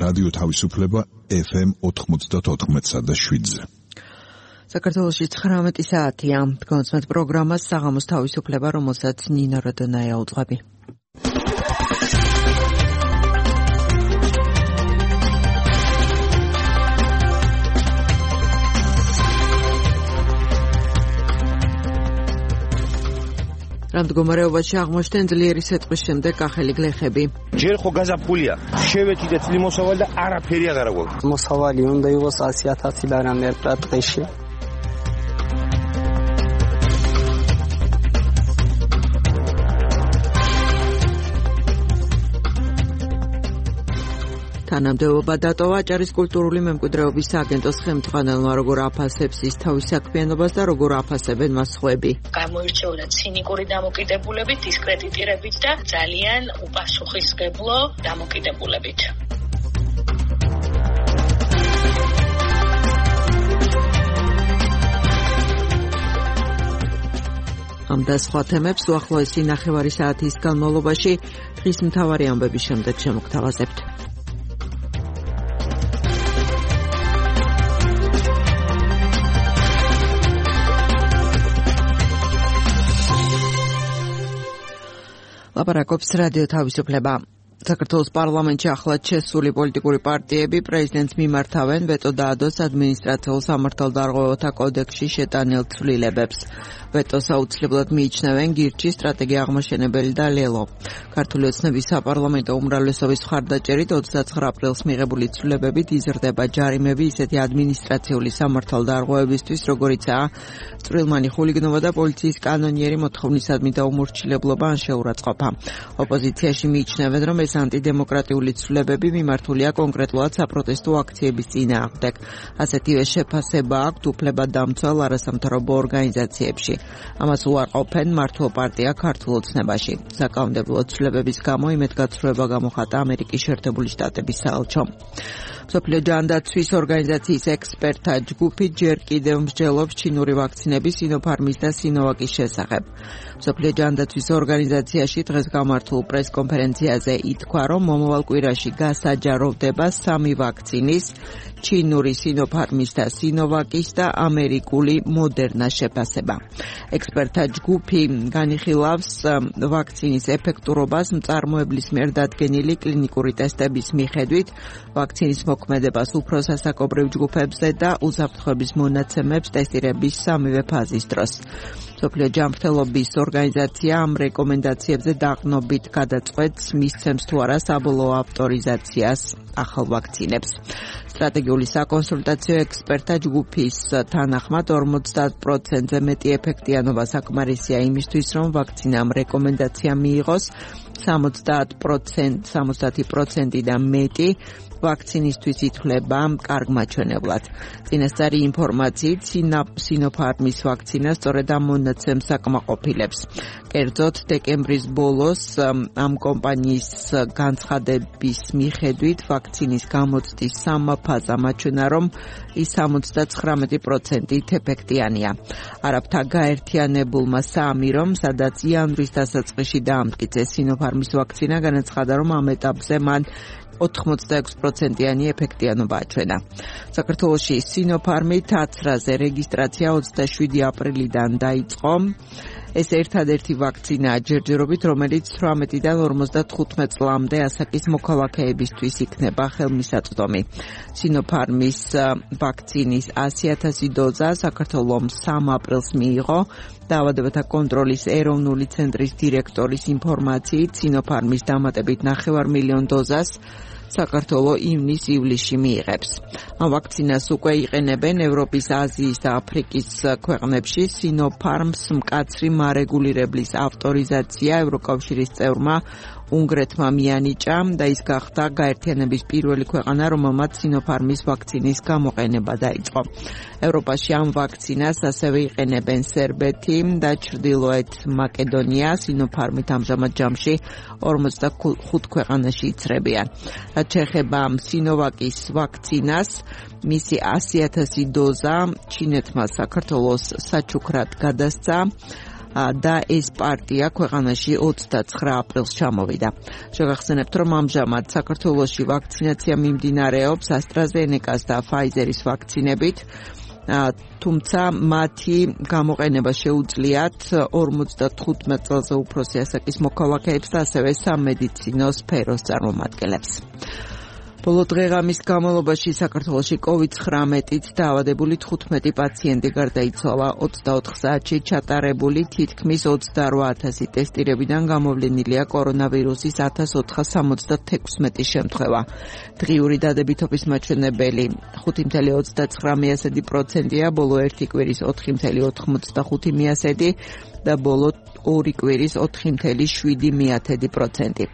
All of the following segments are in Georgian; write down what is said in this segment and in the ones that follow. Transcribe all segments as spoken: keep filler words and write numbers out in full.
რადიო თავისუფლება ეფ ემ ოთხმოცდაოთხ და შვიდზე. საქართველოში ცხრამეტი საათია. გონცმეთ პროგრამას საღამოს თავისუფლება, რომელსაც ნინო როდონაია უძღვები. რამდგომარეობაში აღმოჩნდნენ ძლიერი სეტყვის შემდეგ კახელი გლეხები. ჯერ ხო გაზაფხულია, შევეჭი და წლი მოსავალი და არაფერი აღარ აქვს. მოსავალი უნდა იყოს ასი ათასი ლარამდე პრატყეში. თანამდებობა დატოვა აჭარის კულტურული მემკვიდრეობის სააგენტოს ხელმძღვანელმა, როგორ აფასებს ის თავის საქმიანობას და როგორ აფასებენ მას სხვები. გამოირჩეოდა ცინიკური დამოკიდებულებით, დისკრედიტირებით და ძალიან უპასუხისმგებლო დამოკიდებულებით. ამ და სხვა თემებს უახლოესი ნახევარი საათის განმავლობაში დღის მთავარი ამბების შემდეგ შემოგთავაზებთ. ლაპარაკობს რადიო თავისუფლება. საქართველოს პარლამენტში ახლად შესული პოლიტიკური პარტიები პრეზიდენტს მიმართავენ ვეტო დაადოს ადმინისტრაციულ სამართალდარღვევათა კოდექსში შეტანილ ცვლილებებს. ვეტოს აუცილებლად მიიჩნევენ გირჩი, სტრატეგია აღმაშენებელი და ლელო. ქართული ოცნების საპარლამენტო უმრავლესობის მხარდაჭერით ოცდაცხრა აპრილს მიღებული ცვლილებებით იზრდება ჯარიმები ისეთი ადმინისტრაციული სამართალდარღვევებისთვის, როგორიცაა წვრილმანი ხულიგნობა და პოლიციის კანონიერი მოთხოვნისადმი დაუმორჩილებლობა ან შეურაცხყოფა. ოპოზიციაში მიიჩნევენ, რომ ეს ანტიდემოკრატიული ცვლილებები მიმართულია კონკრეტულად საპროტესტო აქციების წინააღმდეგ. ასეთივე შეფასება აქვთ უფლებადამცველ არასამთავრობო ორგანიზაციებში. ამას უარყოფენ მართლ პარტია ქართულ ოცნებაში. საკანონმდებლო ცვლილებების გამო იმედგაცრუება გამოხატა ამერიკის შეერთებული შტატების საელჩომ. მსოფლიო ჯანდაცვის ორგანიზაციის ექსპერტთა ჯგუფი ჯერ კიდევ მსჯელობს ჩინური ვაქცინების სინოფარმის და სინოვაკის შესახებ. მსოფლიო ჯანდაცვის ორგანიზაციაში დღეს გამართულ პრესკონფერენციაზე ითქვა, რომ მომავალ კვირაში გასაჯაროვდება სამი ვაქცინის, ჩინური სინოფარმის და სინოვაკის და ამერიკული მოდერნას შეფასება. ექსპერტთა ჯგუფი განიხილავს ვაქცინის ეფექტურობას მწარმოებლის მიერ დადგენილი კლინიკური ტესტების მიხედვით, ვაქცინის მოქმედებას უფრო სასაკობრივ ჯგუფებზე და უსაფრთხოების მონაცემებს ტესტირების სამივე ფაზის დროს. მსოფლიო ჯანმრთელობის ორგანიზაცია ამ რეკომენდაციებზე დაყრდნობით გადაწყვეტს, მისცემს თუ არა საბოლოო ავტორიზაციას ახალ ვაქცინებს. სტრატეგიული საკონსულტაციო ექსპერტთა ჯგუფის თანახმად ორმოცდაათ პროცენტზე მეტი ეფექტიანობა საკმარისია იმისთვის, რომ ვაქცინამ რეკომენდაცია მიიღოს. სამოცდაათ პროცენტი და მეტი ვაქცინისთვის ითვლება კარგ მაჩვენებლად. წინასწარი ინფორმაციით სინოფარმის ვაქცინა სწორედ ამ მონაცემს აკმაყოფილებს. კერძოდ, დეკემბრის ბოლოს ამ კომპანიის განცხადების მიხედვით ვაქცინის გამოცდის სამაფაზა მაჩვენა, რომ ის სამოცდაცხრამეტი პროცენტით ეფექტიანია. არაბთა გაერთიანებულმა საამირომ, სადაც იანვრის დასაწყისში დაამტკიცეს სინოფარმის ვაქცინა, განაცხადა, რომ ამ ეტაპზე მან ოთხმოცდაექვსი პროცენტიანი ეფექტიანობა აჩვენა. საქართველოში სინოფარმი თაცრაზე რეგისტრაცია ოცდაშვიდი აპრილიდან დაიწყო. ეს ერთადერთი ვაქცინაა ჯერჯერობით, რომელიც თვრამეტიდან ორმოცდათხუთმეტ წლამდე ასაკის მოქალაქეებისთვის იქნება ხელმისაწვდომი. სინოფარმის ვაქცინის ასი ათასი დოზა საქართველომ სამ აპრილს მიიღო. დაავადებათა კონტროლის ეროვნული ცენტრის დირექტორის ინფორმაციით, სინოფარმის დამატებით ნახევარ მილიონ დოზას საქართველო ივნის-ივლისში მიიღებს. ამ ვაქცინას უკვე იყენებენ ევროპის, აზიის და აფრიკის ქვეყნებში. სინოფარმს მკაცრი მარეგულირებლის ავტორიზაცია ევროკავშირის წევრმა უნგრეთმა მიანიჭა და ის გახდა გაერთიანების პირველი ქვეყანა, რომელმაც სინოფარმის ვაქცინის გამოყენება დაიწყო. ევროპაში ამ ვაქცინას ასევე იყენებენ სერბეთი და ჩრდილოეთ მაკედონია. სინოფარმით ამჟამად ჯამში ორმოცდახუთ ქვეყანაში იცრებიან. რაც შეეხება სინოვაკის ვაქცინას, მისი ასი ათასი დოზა ჩინეთმა საქართველოს საჩუქრად გადასცა. და ეს პარტია ქვეყანაში ოცდაცხრა აპრილს ჩამოვიდა. შეგახსენებთ, რომ ამჟამად საქართველოში ვაქცინაცია მიმდინარეობს AstraZeneca-ს და Pfizer-ის ვაქცინებით. თუმცა მათი გამოყენება შეუძლიათ ორმოცდათხუთმეტ წელზე უფროსი ასაკის მოქალაქეებს და ასევე სამედიცინო სფეროს წარმომადგენლებს. ბოლო დღეღამის განმავლობაში საქართველოში კოვიდ ცხრამეტით დაავადებული თხუთმეტი პაციენტი გარდაიცვალა. ოცდაოთხ საათში ჩატარებული თითქმის ოცდარვა ათასი ტესტირებიდან გამოვლენილია კორონავირუსის ათას ოთხას სამოცდათექვსმეტი შემთხვევა. დღიური დადებითობის მაჩვენებელი ხუთი წელი ოცდაცხრა პროცენტია, ბოლო ერთი კვირის ოთხი წელი ოთხმოცდახუთი და ბოლო ორი კვირის ოთხი წელი შვიდი პროცენტი.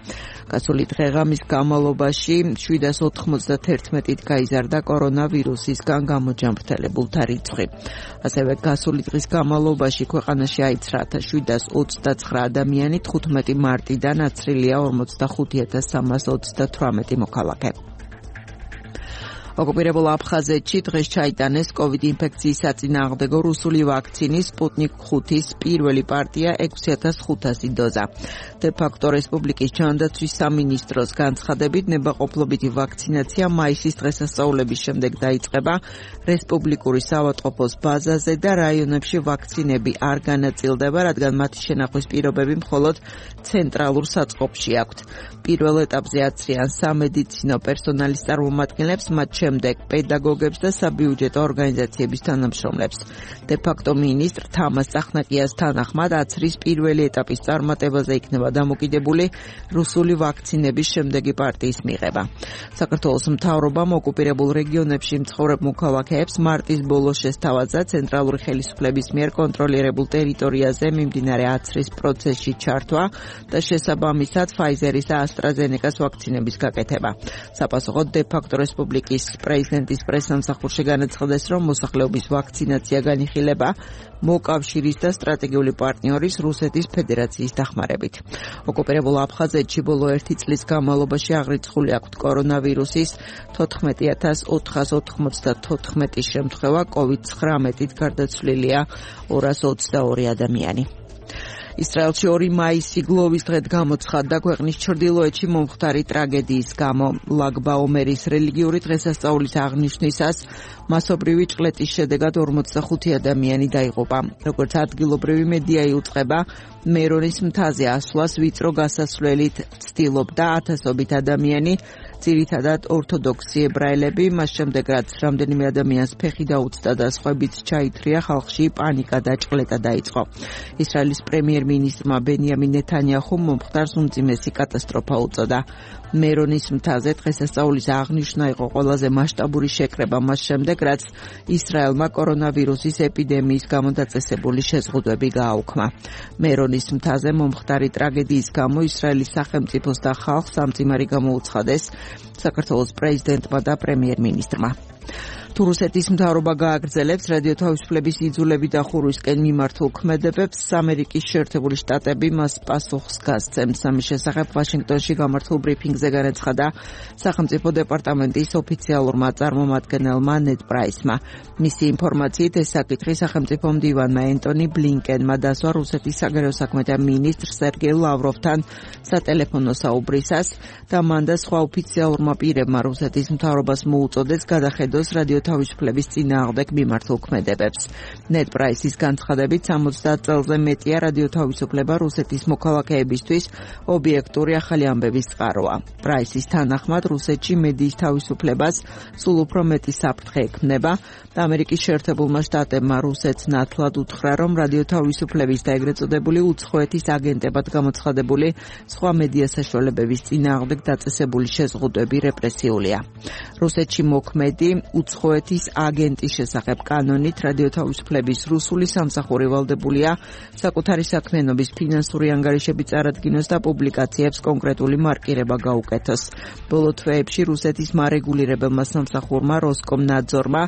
გასული დღეღამის განმავლობაში შვიდას ოთხმოცდაერთმეტით გაიზარდა კორონავირუსისგან გამოჯანმრთელებულთა რიცხვი. ასევე გასული დღის განმავლობაში ქვეყანაში აიცრა შვიდას ოცდაცხრა ადამიანი, თხუთმეტი მარტიდან აცრილია ორმოცდახუთი ათას სამას ოცდათვრამეტი მოქალაქე. ოკუპირებულ აფხაზეთში დღეს ჩაიტანეს კოვიდ ინფექციის საწინააღმდეგო რუსული ვაქცინის სპუტნიკ ხუთის პირველი პარტია ექვსი ათას ხუთასი დოზა. დე-ფაქტო რესპუბლიკის ჯანდაცვის სამინისტროს განცხადებით, ნებაყოფლობითი ვაქცინაცია მაისის დღესასწაულების შემდეგ დაიწყება რესპუბლიკური საავადმყოფოს ბაზაზე და რაიონებში ვაქცინები არ განაწილდება, რადგან მათი შენახვის პირობები მხოლოდ ცენტრალურ საწყობში აქვთ. პირველ ეტაპზე აცრიან სამედიცინო პერსონალის წარმომადგენლებს, მათ შემდეგ პედაგოგებს და საბიუჯეტო ორგანიზაციების თანამშრომლებს. დე-ფაქტო მინისტრ თამას წახნაკიას თანახმად აცრის პირველი ეტაპის წარმატებაზე იქნება დამოკიდებული რუსული ვაქცინების შემდეგი პარტიის მიღება. საქართველოს მთავრობამ ოკუპირებულ რეგიონებში მცხოვრებ მოქალაქეებს მარტის ბოლოს შესთავაზა ცენტრალური ხელისუფლების მიერ კონტროლირებულ ტერიტორიაზე მიმდინარე აცრის პროცესში ჩართვა და შესაბამისად Pfizer-ის და AstraZeneca-ს ვაქცინების გაკეთება. საპასუხოდ დე-ფაქტო რესპუბლიკის პრეზიდენტის პრესსამსახურში განაცხადეს, რომ მოსახლეობის ვაქცინაცია განიხილება მოკავშირის და სტრატეგიული პარტნიორის რუსეთის ფედერაციის დახმარებით. ოკუპირებულ აფხაზეთში ბოლო ერთი წლის განმავლობაში აღრიცხული აქვთ კორონავირუსის თოთხმეტი ათას ოთხას ოთხმოცდათოთხმეტი შემთხვევა, კოვიდ ცხრამეტით გარდაცვლილია ორას ოცდაორი ადამიანი. ისრაელში ორი მაისი გლოვის დღედ გამოცხადდა ქვეყნის ჩრდილოეთში მომხდარი ტრაგედიის გამო. ლაგბაომერის რელიგიური დღესასწაულის აღნიშვნისას მასობრივი ჭყლეტის შედეგად ორმოცდახუთი ადამიანი დაიღუპა. როგორც ადგილობრივი მედია იუწყება, მერონის მთაზე ასვლას ვიწრო გასასვლელით ცდილობდა ათასობით ადამიანი, ძირითადად ორთოდოქსი ებრაელები, მას შემდეგ რაც რამდენიმე ადამიანს ფეხი დაუწდა და სხვაებიც ჩაითრია, ხალხში პანიკა და ჭყლეტა დაიწყო. ისრაელის პრემიერ-მინისტრმა ბენიამინ ნეთანიაჰუმ მომხდარს უმძიმესი კატასტროფა უწოდა. მერონის მთაზე დღესასწაულის აღნიშვნა იყო ყველაზე მასშტაბური შეკრება მას შემდეგ, რაც ისრაელმა კორონავირუსის ეპიდემიის გამო დაწესებული შეზღუდვები გააუქმა. მერონის მთაზე მომხდარი ტრაგედიის გამო ისრაელის სახელმწიფოს და ხალხს ამძიმარი გამოუცხადეს საქართველოს პრეზიდენტმა და პრემიერ-მინისტრმა. თუ რუსეთის მთავრობა გააგრძელებს რადიო თავისუფლების იძულები და ხურვისკენ მიმართულ ქმედებებს, ამერიკის შეერთებული შტატები მას პასუხს გასცემს. ამის შესახებ ვაშინგტონში გამართულ ბრიფინგზე განაცხადა სახელმწიფო დეპარტამენტის ოფიციალურმა წარმომადგენელმა ნედ პრაისმა. მისი ინფორმაციით ეს საკითხი სახელმწიფო მდივანმა ენტონი ბლინკენმა დასვა რუსეთის საგარეო საქმეთა მინისტრ სერგეი ლავროვთან სატელეფონო საუბრისას და მან და სხვა ოფიციალურმა პირებმა რუსეთის მთავრობას მოუწოდეს გადახედოს რადიო თავისუფლების წინააღმდეგ მიმართულ ქმედებებს. ნედ პრაისის განცხადებით სამოცდაათ წელზე მეტია რადიო თავისუფლება რუსეთის მოქალაქეებისთვის ობიექტური ახალი ამბების წყაროა. პრაისის თანახმად რუსეთში მედიის თავისუფლებას სულ უფრო მეტი საფრთხე ექმნება და ამერიკის შეერთებულმა შტატებმა რუსეთს ნათლად უთხრა, რომ რადიო თავისუფლების და ეგრეთ წოდებული უცხოეთის აგენტებად გამოცხადებული სხვა მედია საშუალებების წინააღმდეგ დაწესებული შეზღუდვები რეპრესიულია. რუსეთში მოქმედი უცხოეთის აგენტის შესახებ კანონით რადიო თავისუფლების რუსული სამსახური ვალდებულია საკუთარი საქმიანობის ფინანსური ანგარიშები წარადგინოს და პუბლიკაციებს კონკრეტული მარკირება გაუკეთოს. ბოლო თვეებში რუსეთის მარეგულირებელმა სამსახურმა როსკომნაძორმა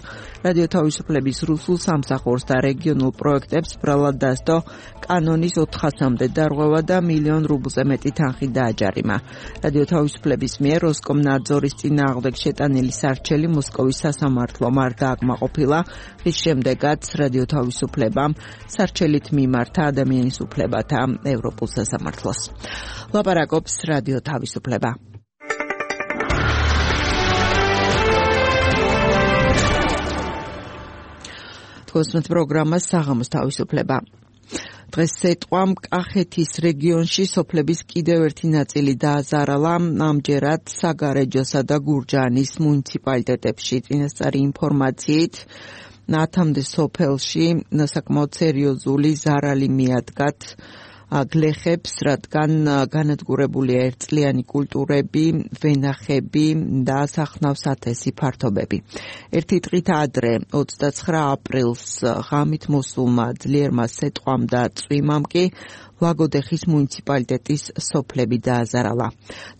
რადიო თავისუფლების რუსულ სამსახურს და რეგიონულ პროექტებს ბრალად დასდო კანონის ოთხასამდე დარღვევა და მილიონ რუბლზე მეტი თანხი დააჯარიმა. რადიო თავისუფლების მიერ როსკომნაძორ ნაძორის წინააღმდეგ შეტანილი სარჩელი მოსკოვის სასამართლომ არ დააკმაყოფილა, რის შემდეგაც რადიო თავისუფლებამ სარჩელით მიმართა ადამიანის უფლებათა ევროპულ სასამართლოს. ლაპარაკობს რადიო თავისუფლება. თქოსმეთ პროგრამას საღამოს თავისუფლება. დღეს სეტყვამ კახეთის რეგიონში სოფლების კიდევ ერთი ნაწილი დააზარალა, ამჯერად საგარეჯოსა და გურჯაანის მუნიციპალიტეტებში. წინასწარი ინფორმაციით ათამდე სოფელში საკმაოდ სერიოზული ზარალი მიადგათ გლეხებს, რადგან განადგურებულია ერთწლიანი კულტურები, ვენახები და სახნავს ათასი ფართობები. ერთი დღით ადრე, ოცდაცხრა აპრილს ღამით მოსულმა ძლიერმა სეტყვამ და წვიმამ კი ლაგოდეხის მუნიციპალიტეტის სოფლები დააზარალა.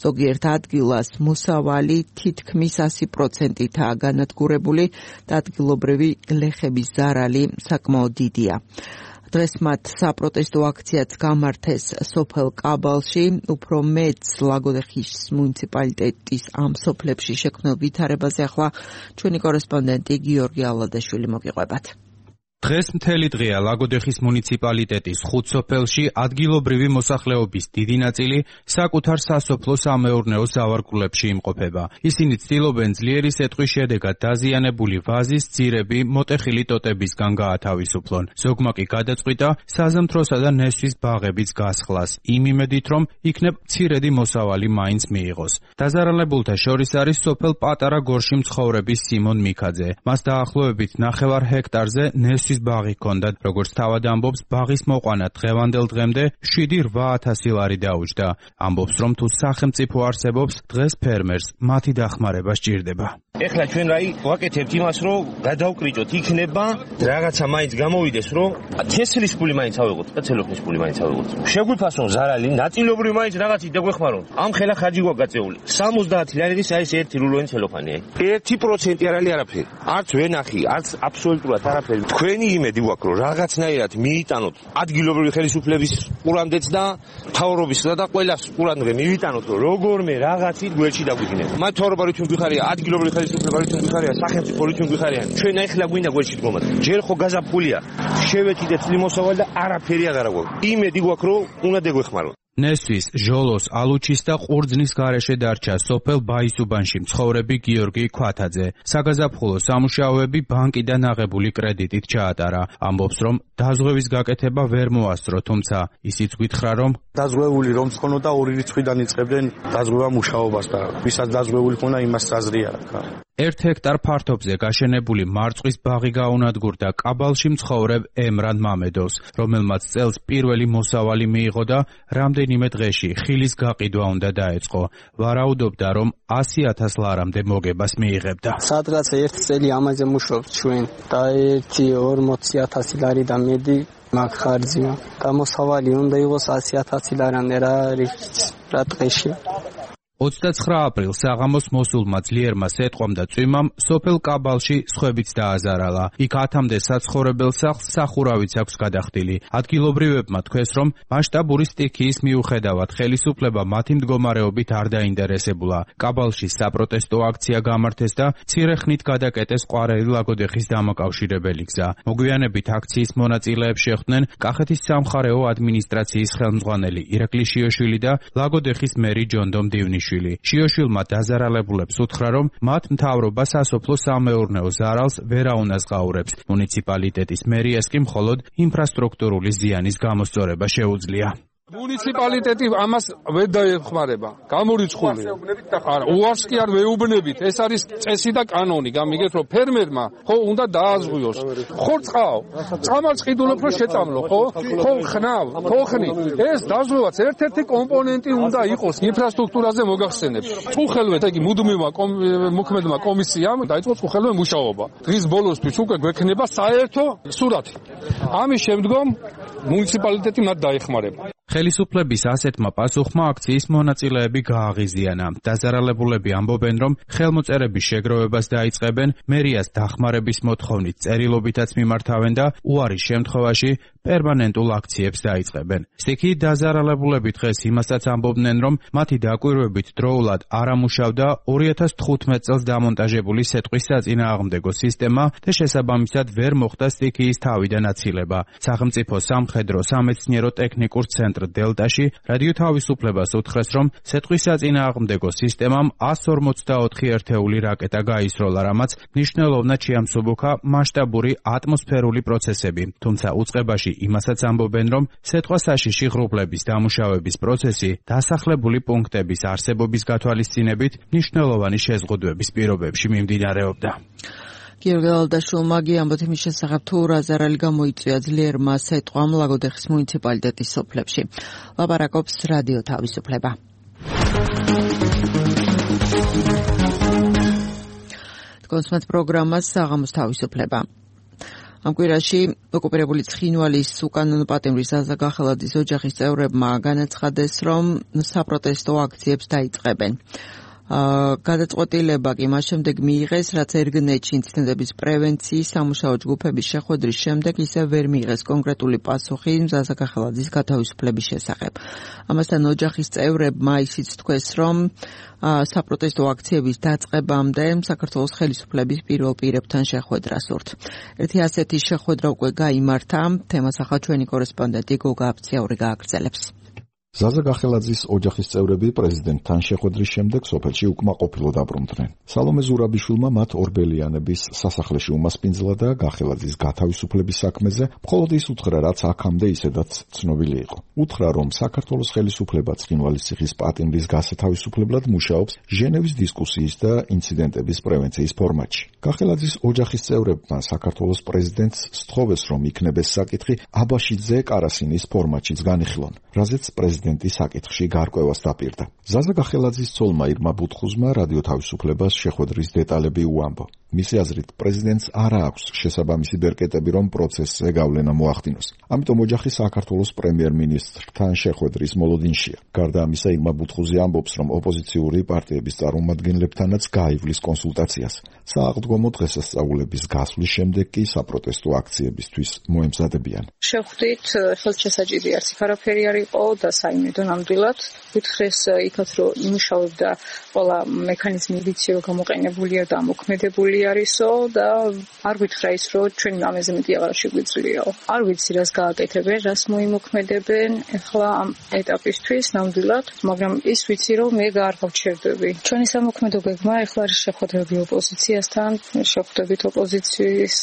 ზოგიერთ ადგილას მოსავალი თითქმის ასი პროცენტითაა განადგურებული და ადგილობრივი გლეხების ზარალი საკმაოდ დიდია. დღეს მათ საპროტესტო აქციაც გამართეს სოფელ კაბალში, უფრო მეც ლაგოდეხის მუნიციპალიტეტის ამ სოფლებში შექმნილ ვითარებაზე ახლა ჩვენი კორესპონდენტი გიორგი ალადაშვილი მოგიყვებათ. დღეს მთელი დღეა ლაგოდეხის მუნიციპალიტეტის ხუთ სოფელში ადგილობრივი მოსახლეობის დიდი ნაწილი საკუთარ სასოფლო-სამეურნეო ზავარგულებში იმყოფება. ისინი ცდილობენ ძლიერი სეტყვის შედეგად დაზიანებული ვაზის, ძირები, მოტეხილი ტოტებისგან გაათავისუფლონ. ზოგმა კი გადაწყვიტა საზამთროსა და ნესვის ბაღების გასხლას, იმ იმედით, რომ იქნებ მცირედი მოსავალი მაინც მიიღოს. დაზარალებულთა შორის არის სოფელ პატარა გორში მცხოვრების სიმონ მიქაძე. მას დაახლოებით ნახევარ ჰექტარზე ნესვის ბაღი ჰქონდა, როგორც თავად ამბობს, ბაღის მოყვანა დღევანდელ დღემდე შვიდი რვა ათასი ლარი დაუჯდა. ამბობს, რომ თუ სახელმწიფო არსებობს, დღეს ფერმერს მათი დახმარება სჭირდება. ეხლა ჩვენ რაი ვაკეთებთ იმას, რომ გადავკრიჭოთ, იქნება რაღაცა მაინც გამოვიდეს, რომ თესლის ფული მაინც ავიღოთ და ცელოფნის ფული მაინც ავიღოთ. შეგვიფასონ ზარალი, ნაწილობრივ მაინც რაღაცი დაგვეხმარონ. ამ ხელა ხარჯი გვაგაწეული. სამოცდაათი ლარების არის ერთი რულონი ცელოფანი. ერთი პროცენტი არ არის არაფერი. არც ვენახი, არც აბსოლუტურად არაფერი. თქვენი იმედი გვაქვს, რომ რაღაცნაირად მიიტანოთ ადგილობრივი ხელისუფლების ყურამდეც და მთავრობისა და ყველას ყურამდე მივიტანოთ, რომ როგორმე რაღაცით გვერდში დაგვიგინეთ. მათ მთავრობა რითუნ გვიხარია, ადგილობრივი ხელისუფლება რითუნ გვიხარია, სახელმწიფო რითუნ გვიხარიან. ჩვენ ახლა გვინდა გვერდში დგომათ. ჯერ ხო გაზაფხულია, შევეჭიდეთ წლიმოსავალ და არაფერი აღარ გვაქვს. იმედი გვაქვს, რომ უნდა დაგვეხმაროთ. ნესვის, ჟოლოს, ალუჩის და ყურძნის გარეშე დარჩა სოფელ ბაისუბანში მცხოვრები გიორგი ქვათაძე. საგაზაფხულო სამუშაოები ბანკიდან აღებული კრედიტით ჩაატარა. ამბობს, რომ დაზღვევის გაკეთება ვერ მოასწრო, თუმცა ისიც გითხრა, რომ დაზღვეული რომ ხონოდა ორი რიცხვიდან იწყებდნენ დაზღვევა მუშაობას და ვისაც დაზღვეული ხონა იმას საზრი არ აქვს. ერთ ჰექტარ ფართობზე გაშენებული მარწყვის ბაღი გაუნადგურდა კაბალში მცხოვრებ ემრან მამედოვს, რომელმაც წელს პირველი მოსავალი მიიღო და რამდენიმე დღეში ხილის გაყიდვა უნდა დაეწყო. ვარაუდობდა, რომ ასი ათას ლარამდე მოგებას მიიღებდა. სადღაც ერთ წელი ამაზე მუშაობთ ჩვენ და ერთი ორმოცი ათასი ლარი და მედი მაგ ხარჯია. და მოსავალი უნდა იყოს ასი ათასი ლარამდე რა რა დღეში. ოცდაცხრა აპრილს საღამოს მოსულმა ძლიერმა სეტყვამ და წვიმამ სოფელ კაბალში სხვებიც დააზარალა. იქ ათამდე საცხოვრებელ სახლს სახურავიც აქვს გადახდილი. ადგილობრივებმა თქვეს, რომ მასშტაბური სტიქიის მიუხედავად ხელისუფლება მათი მდგომარეობით არ დაინტერესებულა. კაბალში საპროტესტო აქცია გამართეს და მცირე ხნით გადაკეტეს ყვარელი ლაგოდეხის დამაკავშირებელი გზა. მოგვიანებით აქციის მონაწილეებს შეხვდნენ კახეთის სამხარეო ადმინისტრაციის ხელმძღვანელი ირაკლი შიოშვილი და ლაგოდეხის მერი ჯონდომ დივნიშვილი. შიოშვილმა დაზარალებულებს უთხრა, რომ მათ მთავრობა სასოფლო-სამეურნეო ზარალს ვერ აუნაზღაურებს. მუნიციპალიტეტის მერიას კი მხოლოდ ინფრასტრუქტურული ზიანის გამოსწორება შეუძლია. მუნიციპალიტეტი ამას ვერ დაეხმარება. გამორიცხულია. არა, უარს კი არ ვეუბნებით. ეს არის წესი და კანონი. გამიგეთ, რომ ფერმერმა ხო უნდა დააზღვიოს. ხო წყავ. წამალს ყიდულობ რომ შეწამლო, ხო? ხო ხნავ, ხო ხნი. ეს დაზღვევაც ერთ-ერთი კომპონენტი უნდა იყოს ინფრასტრუქტურაზე მოგახსენებ. წუხელვე, იგი მუდმივმა მოქმედმა კომისიამ დაიწყო წუხელვე მუშაობა. დღის ბოლოსთვის უკვე გვექნება საერთო სურათი. ამის შემდგომ მუნიციპალიტეტი მათ დაეხმარება. ხელისუფლების ასეთმა პასუხმა აქციის მონაწილეები გააღიზიანა. დაზარალებულები ამბობენ, რომ ხელმოწერების შეგროვებას დაიწყებენ, მერიას დახმარების მოთხოვნით წერილობითაც მიმართავენ და უარის შემთხვევაში პერმანენტულ აქციებს დაიწყებენ. სტიქი დაზარალებულები დღეს იმასაც ამბობდნენ, რომ მათი დაკვირვებით დროულად არ ამუშავდა ორი ათას თხუთმეტ წელს დამონტაჟებული სეტყვის საწინააღმდეგო სისტემა და შესაბამისად ვერ მოხდა სტიქიის თავიდან აცილება. სახელმწიფო სამხედრო სამეცნიერო ტექნიკურ ცენტრ დელტაში რადიო თავისუფლებას უთხრეს, რომ სეტყვის საწინააღმდეგო სისტემამ ას ორმოცდაოთხი ერთეული რაკეტა გაისროლა, რამაც მნიშვნელოვნად შეამსუბუქა მასშტაბური ატმოსფერული პროცესები. თუმცა უწყებაში იმასაც ამბობენ, რომ სეტყვა საშიში ღრუბლების დამუშავების პროცესი დასახლებული პუნქტების არსებობის გათვალისწინებით მნიშვნელოვანი შეზღუდვების პირობებში მიმდინარეობდა. გიორგი ალდაშულმა გიამბოთ იმის შესახებ, თუ რა ზარალი გამოიწვია ძლიერმა სეტყვამ ლაგოდეხის მუნიციპალიტეტის სოფლებში. ლაპარაკობს რადიო თავისუფლება. კონსმეთ პროგრამას საღამოს თავისუფლება. ამ კვირაში ოკუპირებული ცხინვალის უკანონო პატიმრის ზაზა გახელაძის ოჯახის წევრებმა განაცხადეს, რომ საპროტესტო აქციებს დაიწყებენ. გადაწყვეტილება კი მას შემდეგ მიიღეს, რაც ერგნეთში ინციდენტების პრევენციის სამუშაო ჯგუფების შეხვედრის შემდეგ ისევ ვერ მიიღეს კონკრეტული პასუხი ზაზა გახელაძის გათავისუფლების შესახებ. ამასთან ოჯახის წევრებმა ისიც თქვეს, რომ საპროტესტო აქციების დაწყებამდე საქართველოს ხელისუფლების პირველ პირებთან შეხვედრა სურთ. ერთი ასეთი შეხვედრა უკვე გაიმართა, თემას ახლა ჩვენი კორესპონდენტი გოგა აფციური გააგრძელებს. ზაზა გახელაძის ოჯახის წევრები პრეზიდენტთან შეხვედრის შემდეგ სოფელში უკმაყოფილო დაბრუნდნენ. სალომე ზურაბიშვილმა მათ ორბელიანების სასახლეში უმასპინძლა და გახელაძის გათავისუფლების საქმეზე მხოლოდ ის უთხრა, რაც აქამდე ისედაც ცნობილი იყო. უთხრა, რომ საქართველოს ხელისუფლება ცხინვალის ციხის პატიმრის გასათავისუფლებლად მუშაობს ჟენევის დისკუსიის და ინციდენტების პრევენციის ფორმატში. გახელაძის ოჯახის წევრებმა საქართველოს პრეზიდენტს სთხოვეს, რომ იქნებეს საკითხი აბაშიძე კარასინის ფორმატშიც განიხილონ, რაზეც პრეზიდენტი საკითხში გარკვევას დაპირდა. ზაზა გახელაძის ცოლმა ირმა ბუთხუზმა რადიო თავისუფლებას შეხვედრის დეტალები უამბო. მისი აზრით, პრეზიდენტს არ აქვს შესაბამისი ბერკეტები, რომ პროცესზე გავლენა მოახდინოს. ამიტომ ოჯახი საქართველოს პრემიერ-მინისტრთან შეხვედრის მოლოდინშია. გარდა ამისა, ირმა ბუთხუზი ამბობს, რომ ოპოზიციური პარტიების წარმომადგენლებთანაც გაივლის კონსულტაციას. სააღდგომო დღესასწაულების გასვლის შემდეგ კი საპროტესტო აქციებისთვის მოემზადებიან. შევხვდით, ხელშესაჯიდი არც არაფერი არ იყო და საიმედო ნამდვილად უთხრეს იქაც, რომ იმუშავებდა ყველა მექანიზმი ვიცი, რომ გამოყენებულია და მოქმედებული არისო და არ გითხრა ის, რომ ჩვენ ამაზე მეტი აღარ შეგვიძლიაო. არ ვიცი რას გააკეთებენ, რას მოიმოქმედებენ ახლა ამ ეტაპისთვის ნამდვილად, მაგრამ ის ვიცი, რომ მე არ გავჩერდები. ჩვენი სამოქმედო გეგმა ახლა არის შეხვედრები ოპოზიციასთან, შეხვდებით ოპოზიციის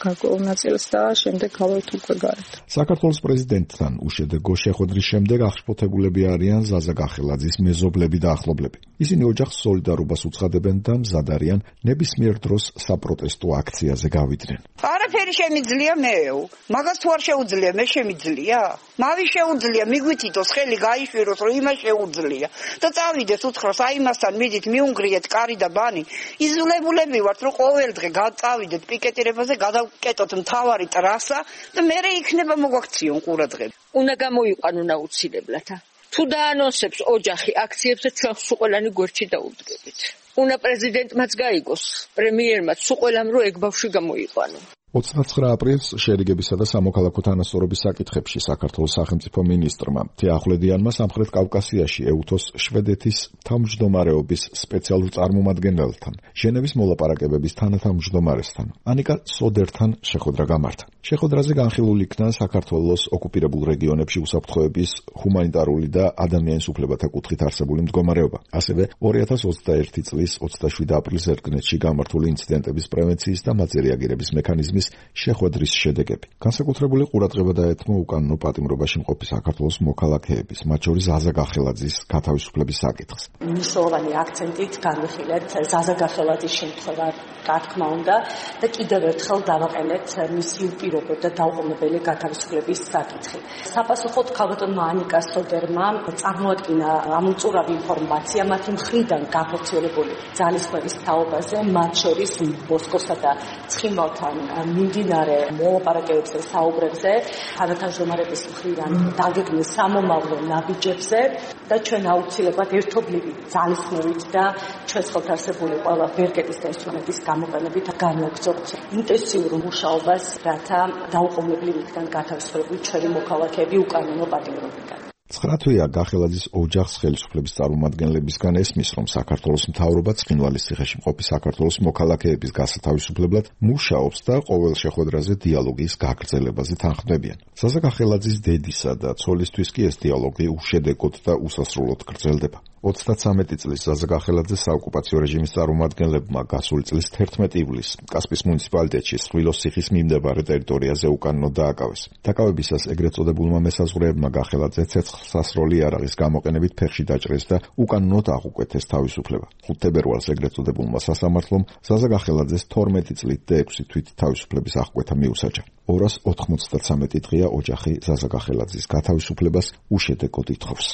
გარკვეულ ნაწილს და შემდეგ გავართ უკვე გარეთ. საქართველოს პრეზიდენტთან უშედეგო შეხვედრის შემდეგ აღშფოთებულები არიან ზაზა გახელაძის მეზობლები და ახლობლები. ისინი ოჯახს სოლიდარობას უცხადებენ და მზად არიან ნებისმიერ დროს საპროტესტო აქციაზე გავიდნენ. არაფერი შემიძლია მეო, მაგას თუ არ შეუძლია, მე შემიძლია? მავი შეუძლია, მიგვითითოს ხელი გაიშვიროს, რომ იმას შეუძლია და წავიდეს უთხროს, აი მასთან მიდით მიუნგრიეთ კარი და ბანი. იზოლებულები ვართ, რომ ყოველ დღე გავწავიდეთ პიკეტირებაზე, გადავკეტოთ მთავარი ტრასა და მერე იქნება მოგვაქციონ ყურადღება. უნდა გამოიყვანონ აუცილებლად. თუ დაანონსებს ოჯახი აქციებს, ჩვენ სულ ყველანი გვერდში დაუდგებით. უნდა პრეზიდენტმაც გაიგოს, პრემიერმაც სულ ყველამ რო ეგ ბავშვი გამოიყვანო. ოცდაცხრა აპრილს შერიგებისა და სამოქალაქო თანასწორობის საკითხებში საქართველოს სახელმწიფო მინისტრმა თეახვლედიანმა სამხრეთ კავკასიაში ეუთოს შვედეთის თავმჯდომარეობის სპეციალურ წარმომადგენელთან, ჟენევის მოლაპარაკებების თანათავმჯდომარესთან, ანიკა სოდერთან შეხვედრა გამართა. შეხვედრაზე განხილული იქნა საქართველოს ოკუპირებულ რეგიონებში უსაფრთხოების, ჰუმანიტარული და ადამიანის უფლებათა კუთხით არსებული მდგომარეობა. ასევე ორი ათას ოცდაერთი წლის ოცდაშვიდი აპრილის ერგნეთში გამართული ინციდენტების პრევენციის და მათზე რეაგირების მექანიზმის შეხვედრის შედეგები. განსაკუთრებული ყურადღება დაეთმო უკანონო პატიმრობაში მყოფი საქართველოს მოქალაქეების, მათ შორის ზაზა გახელაძის გათავისუფლების საკითხს. მნიშვნელოვანი აქცენტით განვიხილეთ ზაზა გახელაძის შემთხვევა, რა თქმა უნდა, და კიდევ ერთხელ დავაყენეთ მისი უპირობო აკონტროლებდა დაუყოვნებელი გათავისუფლების საკითხი. Საპასუხოდ ქალბატონმა ანიკა სოდერმა წარმოადგინა ამ უწურავი ინფორმაცია მათი მხრიდან გაფერცილებული ძალისხმევის თაობაზე, მათ შორის მოსკოვსა და ცხინვალთან მიმდინარე მოლაპარაკებებზე, საუბრებზე, თანათავმჯდომარების მხრიდან დაგეგმილ სამომავლო ნაბიჯებზე და ჩვენ აუცილებლად ერთობლივი ძალისხმევით და ჩვენს ხელთ არსებული ყველა ბერგეთის და ინსტრუმენტის გამოყენებით განვაგრძობთ ინტენსიურ მუშაობას, რათა დაუყოვნებლივ იქნან გათავისუფლებული ჩვენი მოქალაქეები უკანონო პატიმრობიდან. ცხრა თვეა გახელაძის ოჯახს ხელისუფლების წარმომადგენლებისგან ესმის, რომ საქართველოს მთავრობა ცხინვალის ციხეში მყოფი საქართველოს მოქალაქეების გასათავისუფლებლად მუშაობს და ყოველ შეხვედრაზე დიალოგის გაგრძელებაზე თანხმდებიან. ზაზა გახელაძის დედისა და ცოლისთვის კი ეს დიალოგი უშედეგოდ და უსასრულოდ გრძელდება. ოცდათვრამეტი წლის ზაზა გახელაძე საოკუპაციო რეჟიმის წარმომადგენლებმა გასული წლის თერთმეტი ივლისს კასპიის მუნიციპალიტეტში სხვილოს ციხის მიმდებარე ტერიტორიაზე უკანონოდ დააკავეს. დაკავებისას ეგრეთ წოდებულმა მესაზღვრეებმა გახელაძე ცეცხლსასროლი იარაღის გამოყენებით ფეხში დაჭრეს და უკანონოდ აღუკვეთეს თავისუფლება. ხუთ თებერვალს ეგრეთ წოდებულმა სასამართლომ ზაზა გახელაძეს თორმეტი წლით და ექვსი თვით თავისუფლების აღკვეთა მიუსაჯა. ორას ოთხმოცდათრამეტი დღეა ოჯახი ზაზა გახელაძის გათავისუფლებას უშედეგოდ ითხოვს.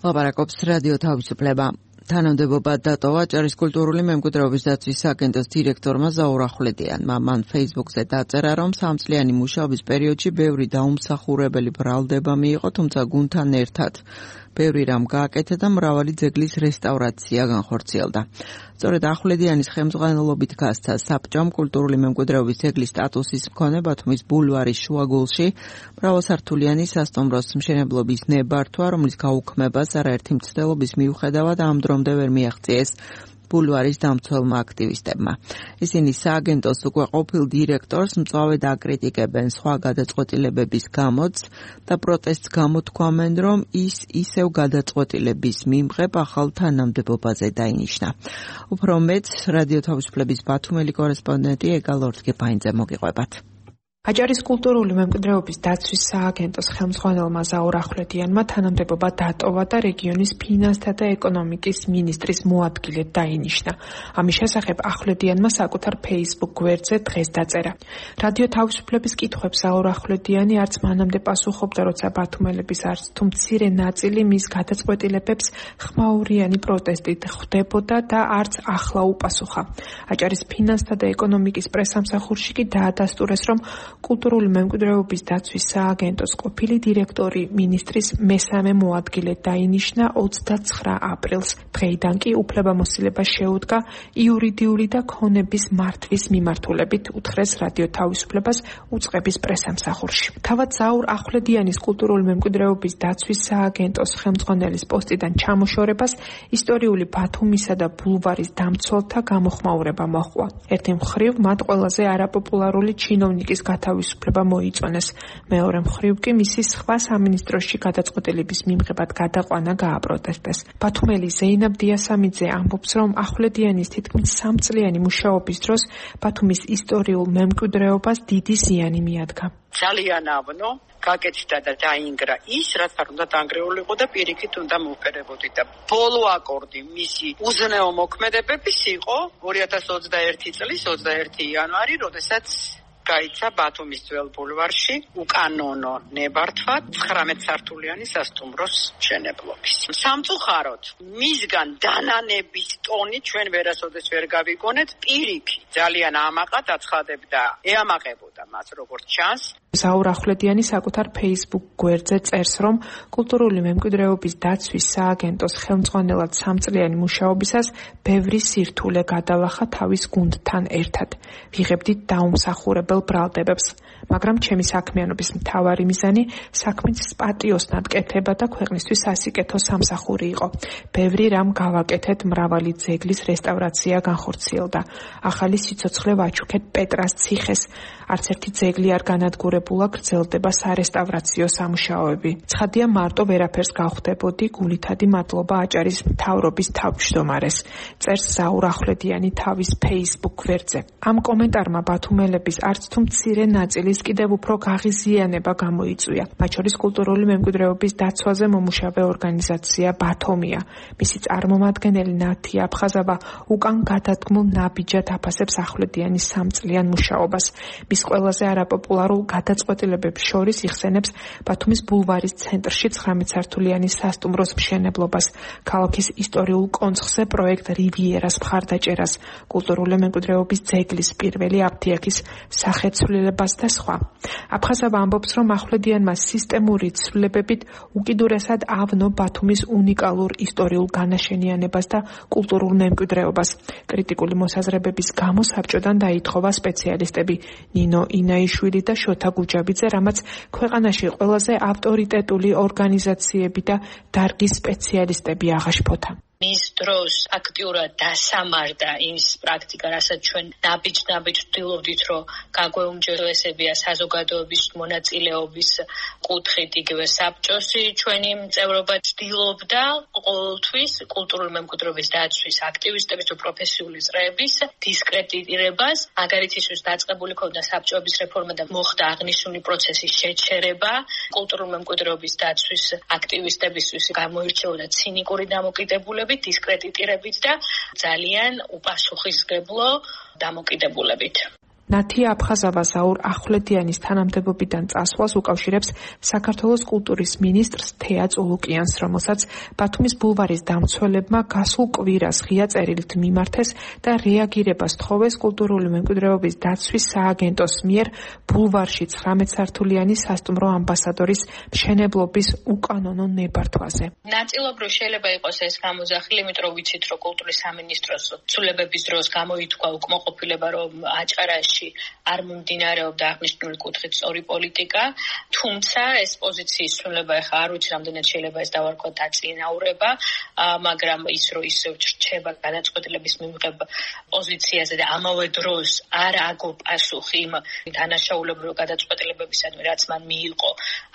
ლაპარაკობს რადიო თავისუფლება. თანამდებობა დატოვა ჭარის კულტურული მემკვიდრეობის დაცვის სააგენტოს დირექტორმა ზაურ ახვლედიანმა. მან Facebook-ზე დაწერა, რომ სამწლიანი მუშაობის პერიოდში ბევრი დაუმსახურებელი ბრალდება მიიღო, თუმცა გუნდთან ერთად ბევრი რამ გააკეთა და მრავალი ძეგლის რესტავრაცია განხორციელდა. სწორედ ახვლედიანის ხელმძღვანელობით გასცა საბჭომ კულტურული მემკვიდრეობის ძეგლის სტატუსის მქონე ბათუმის ბულვარის შუაგულში მრავალსართულიანი სასტუმროს მშენებლობის ნებართვა, რომლის გაუქმებას არაერთი მცდელობის მიუხედავად ამ დრომდე ვერ მიაღწიეს ბულვარის დამცველმა აქტივისტებმა. ისინი სააგენტოს უკვე ყოფილ დირექტორს მწვავედ აკრიტიკებენ სხვა გადაწყვეტილებების გამოც და პროტესტს გამოთქვამენ, რომ ის ისევ გადაწყვეტილების მიმღებ ახალ თანამდებობაზე დაინიშნა. უფრო მეტ რადიო თავისუფლების ბათუმელი კორესპონდენტი ეგალ ორთგეფაინძე მოგიყვებათ. აჭარის კულტურული მემკვიდრეობის დაცვის სააგენტოს ხელმძღვანელმა ზაურ ახვლედიანმა თანამდებობა დატოვა და რეგიონის ფინანსთა და ეკონომიკის მინისტრის მოადგილედ დაინიშნა. ამის შესახებ ახვლედიანმა საკუთარ Facebook გვერდზე დღეს დაწერა. რადიო თავისუფლების კითხვებს ზაურ ახვლედიანი არც მანამდე პასუხობდა, როცა ბათუმელების არც თუ მცირე ნაწილი მის გადაწყვეტილებებს ხმაურიანი პროტესტით ხვდებოდა და არც ახლა უპასუხა. აჭარის ფინანსთა და ეკონომიკის პრესსამსახურში კი დაადასტურეს, რომ კულტურული მემკვიდრეობის დაცვის სააგენტოს ყოფილი დირექტორი მინისტრის მესამე მოადგილედ დაინიშნა ოცდაცხრა aprils. დღეიდან კი უფლებამოსილება შეუდგა იურიდიული და ქონების მართვის მიმართულებით, უთხრეს რადიო თავისუფლებას უწყების პრესსამსახურში. თავად ზაურ ახვლედიანის კულტურული მემკვიდრეობის დაცვის სააგენტოს ხელმძღვანელის პოსტიდან ჩამოშორებას ისტორიული ბათუმისა და ბულვარის დამცველთა გამოხმაურება მოჰყვა. ერთი მხრივ მათ ყველაზე არაპოპულარული ჩინოვნიკის გათავისუფლება მოიწონეს. მეორე მხრივ კი მისი სხვა სამინისტროში გადაწყვეტილების მიმღებად გადაყვანა გააპროტესტეს. ბათუმელი ზეინაბ დიასამიძე ამბობს, რომ ახვლედიანის თითქმის სამწლიანი მუშაობის დროს ბათუმის ისტორიულ მემკვიდრეობას დიდი ზიანი მიადგა. ძალიან ავნო გაკეთდა და დაინგრა ის, რაც არ უნდა დაანგრეულიყო და პირიქით უნდა მოვფერებოდი და ბოლო აკორდი მისი უზნეო მოქმედებების იყო ორი ათას ოცდაერთი წლის ოცდაერთი იანვარი, როდესაც გაიცა ბათუმის ძველ ბულვარში უკანონო ნებართვა ცხრამეტ სართულიანი სასტუმროს მშენებლობის. სამწუხაროდ, მისგან დანანების ტონი ჩვენ ვერასოდეს ვერ გავიგონეთ, პირიქით ძალიან ამაყად აცხადებდა, ეამაყებოდა მას როგორც ჩანს. ზაურ ახვლედიანი საკუთარ Facebook გვერდზე წერს, რომ კულტურული მემკვიდრეობის დაცვის სააგენტოს ხელმძღვანელად სამწლიანი მუშაობისას ბევრი სირთულე გადალახა თავის გუნდთან ერთად. ვიღებდით დაუმსახურებელ ბრალდებებს, მაგრამ ჩემი საქმიანობის მთავარი მიზანი საქმის პატიოსნად კეთება და ქვეყნისთვის სასიკეთო სამსახური იყო. ბევრი რამ გავაკეთეთ, მრავალი ძეგლის რესტავრაცია განხორციელდა. ახალი სიცოცხლე ვაჩუქეთ პეტრას ციხეს. არც ერთი ძეგლი არ განადგურებულა დაწყებულა გრძელდება სარესტავრაციო სამუშაოები. ცხადია მარტო ვერაფერს გავხდებოდი, გულითადი მადლობა აჭარის მთავრობის თავმჯდომარეს. წერს ზაურ ახვლედიანი თავის Facebook გვერდზე. ამ კომენტარმა ბათუმელების არც თუ მცირე ნაწილის კიდევ უფრო გაღიზიანება გამოიწვია. მათ შორის კულტურული მემკვიდრეობის დაცვაზე მომუშავე ორგანიზაცია ბათომია. მისი წარმომადგენელი ნათი აფხაზავა უკან გადადგმულ ნაბიჯად აფასებს ახვლედიანის სამწლიან მუშაობას. მის ყველაზე არაპოპულარულ გადაწყვეტილებებს შორის იხსენებს ბათუმის ბულვარის ცენტრში ცხრამეტსართულიანი სასტუმროს მშენებლობას, ქალაქის ისტორიულ კონცხზე პროექტ რივიერას მხარდაჭერას, კულტურული მემკვიდრეობის ძეგლის პირველი აფთიაქის სახეცვლილებას და სხვა. აფხაზავა ამბობს, რომ ახვლედიანმა სისტემური ცვლილებებით უკიდურესად ავნო ბათუმის უნიკალურ ისტორიულ განაშენიანებას და კულტურულ მემკვიდრეობას. კრიტიკული მოსაზრებების გამო საბჭოდან დაითხოვა სპეციალისტები ნინო ინაიშვილი და შოთა გუჯაბიძე, რამაც ქვეყანაში ყველაზე ავტორიტეტული ორგანიზაციები და დარგის სპეციალისტები აღაშფოთა. მის დროს აქტიურად დასამარდა ის პრაქტიკა, რასაც ჩვენ ნაბიჯ-ნაბიჯ ვთვლობდით, რომ გაგვეუმჯობესებია საზოგადოების მონაწილეობის კუთხით, იგივე საბჭოსი ჩვენი წევრობა ცდილობდა ყოველთვის კულტურული მემკვიდრეობის დაცვის აქტივისტების თუ პროფესიული წრეების დისკრედიტირებას, მაგალითად ის დაწყებული ქონდა საბჭოების რეფორმა და მოხდა აღნიშნული პროცესის შეჩერება, კულტურული მემკვიდრეობის დაცვის აქტივისტებისთვის გამოირჩეოდა ცინიკური დამოკიდებულება, დისკრედიტირებით და ძალიან უპასუხისმგებლო დამოკიდებულებით. ნათი აფხაზავა ზაურ ახვლედიანის თანამდებობიდან წასვლას უკავშირებს საქართველოს კულტურის მინისტრს თეა წულუკიანს, რომელსაც ბათუმის ბულვარის დამცველებმა გასულ კვირას ღია წერილით მიმართეს და რეაგირებას თხოვეს კულტურული მემკვიდრეობის დაცვის სააგენტოს მიერ ბულვარში ცხრამეტსართულიანი სასტუმრო ამბასადორის მშენებლობის უკანონო ნებართვაზე. ნაწილობრივ შეიძლება იყოს ეს გამოძახილი, იმიტომ რომ ვიცით, რომ კულტურის სამინისტროს ცვლილებების დროს გამოითქვა უკმაყოფილება, რომ აჭარაში არ მომდინარეობდა აღნიშნული კუთხით სწორი პოლიტიკა, თუმცა ეს პოზიციის ცვლილება ახლა არ ვიცი რამდენად შეიძლება ეს დავარქვა დაწინაურება, მაგრამ ის რომ ისევ რჩება გადაწყვეტილების მიღება პოზიციაზე და ამავე დროს არ აგო პასუხი იმ დანაშაულებრივ გადაწყვეტილებებისადმი, რაც მან მიიღო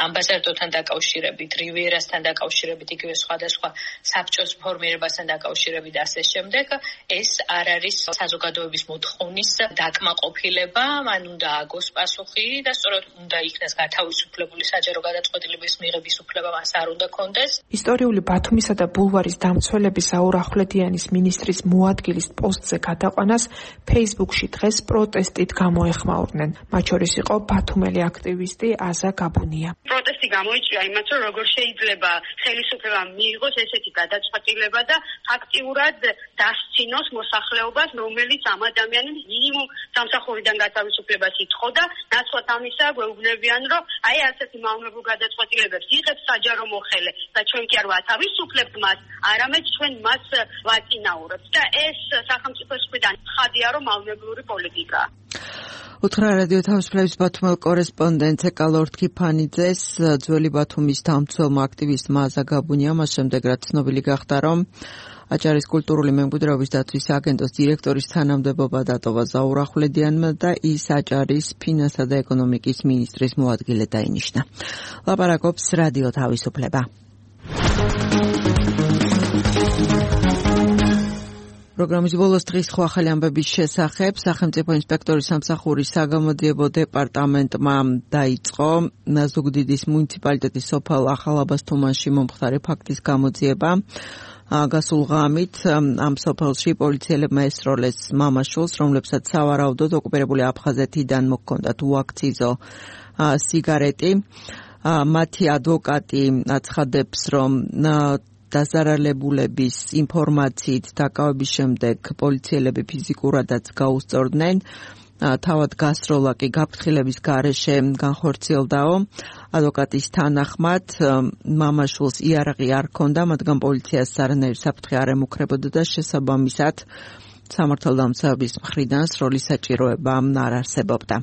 ამბასადორთან დაკავშირებით, რივიერასთან დაკავშირებით, იგივე სხვადასხვა საბჭოს ფორმირებასთან დაკავშირებით და ასე შემდეგ, ეს არ არის საზოგადოების მოთხოვნის დაკმაყოფილება, მან უნდა აგოს პასუხი და სწორედ უნდა იქნას გათავისუფლებული საჯარო გადაწყვეტილების მიღების უფლება მას არ უნდა კონდეს. ისტორიული ბათუმისა და ბულვარის დამცველების ზაურ ახვლედიანის მინისტრის მოადგილის პოსტზე გადაყვანას Facebook-ში დღეს პროტესტით გამოეხმაურნენ. მათ შორის იყო ბათუმელი აქტივისტი აზა გაბუნია. პროტესტი გამოიწვია იმათ, რომ როგორ შეიძლება ხელისუფლება მიიღოს ესეთი გადაწყვეტილება და აქტიურად დასცინოს მოსახლეობას, რომელიც ამ ადამიანის მინიმუმ სამსახურიდან გათავისუფლებას ითხოვდა. ნაცვლად ამისა გვეუბნებიან, რომ აი ასეთი მავნებელ გადაწყვეტილებებს იღებს საჯარო მოხელე და ჩვენ კი არ ვათავისუფლებთ მას, არამედ ჩვენ მას ვაწინაურებთ და ეს სახელმწიფოს მხრიდან ხადია, რომ მავნებლური პოლიტიკაა. უთხრა რადიო თავისუფლების ბათუმელ კორესპონდენტ ეკალორთ ქიფანიძეს ძველი ბათუმის დამცველმა აქტივისტმა აზა გაბუნიამ, მას შემდეგ რაც ცნობილი გახდა, რომ აჭარის კულტურული მემკვიდრეობის დაცვის აგენტოს დირექტორის თანამდებობა დატოვა ზაურ ახვლედიანმა და ის აჭარის ფინანსთა და ეკონომიკის მინისტრის მოადგილედ დაინიშნა. ლაპარაკობს რადიო თავისუფლება. პროგრამის ბოლოს დღის ხო ახალი ამბების შესახებ სახელმწიფო ინსპექტორის სამსახურის საგამოძიებო დეპარტამენტმა დაიწყო ზუგდიდის მუნიციპალიტეტის სოფელ ახალაბას თუმანში მომხდარი ფაქტის გამოძიება. გასულ ღამით ამ სოფელში პოლიციელებმა ესროლეს მამაშვილს, რომლებსაც სავარაუდოდ ოკუპირებული აფხაზეთიდან მოჰქონდათ უაქციზო სიგარეტი. მათი ადვოკატი აცხადებს, რომ დაზარალებულების ინფორმაციით დაკავების შემდეგ პოლიციელები ფიზიკურადაც გაუსწორდნენ. თავად გასროლა კი გაფრთხილების გარეშე განხორციელდაო. ადვოკატის თანახმად მამაშვილს იარაღი არ ჰქონდა, მათგან პოლიციას არანაირი საფრთხე არ ემუქრებოდა და შესაბამისად სამართალდამცავების მხრიდან სროლის საჭიროება არ არსებობდა.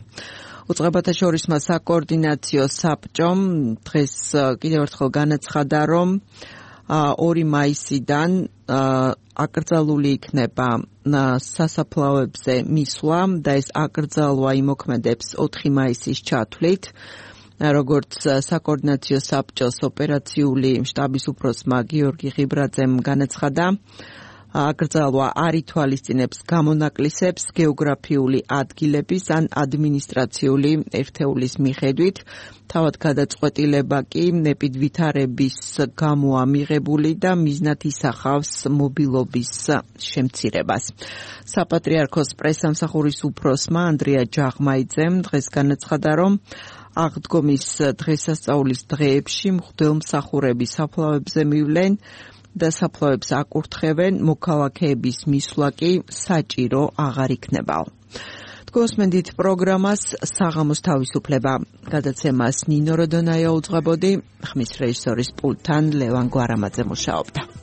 უწყებათა შორისმა საკოორდინაციო საბჭომ დღეს კიდევ ერთხელ განაცხადა, რომ ორი მაისიდან აკრძალული იქნება სასაფლაოებზე მისვლა და ეს აკრძალვა იმოქმედებს ოთხი მაისის ჩათვლით. როგორც საკოორდინაციო საბჭოს ოპერაციული შტაბის უფროსმა გიორგი ღიბრაძემ განაცხადა, აკრძალვა არ ითვალისწინებს გამონაკლისებს გეოგრაფიული ადგილების ან ადმინისტრაციული ერთეულის მიხედვით. თავად გადაწყვეტილება კი ეპიდვითარების გამოა მიღებული და მიზნად ისახავს მობილობის შემცირებას. საპატრიარქოს პრესსამსახურის უფროსმა ანდრია ჯაღმაიძემ დღეს განაცხადა, რომ აღდგომის დღესასწაულის დღეებში მღვდელმსახურები საფლავებზე მივლენ და საფლავებს აკურთხებენ, მოქალაქეების მისვლა კი საჭირო აღარ იქნება. თქვენსმენდით პროგრამას საღამოს თავისუფლება. გადაცემას ნინო როდონაია უძღვებოდი, ხმის რეჟისორის პულტთან ლევან გვარამაძე მუშაობდა.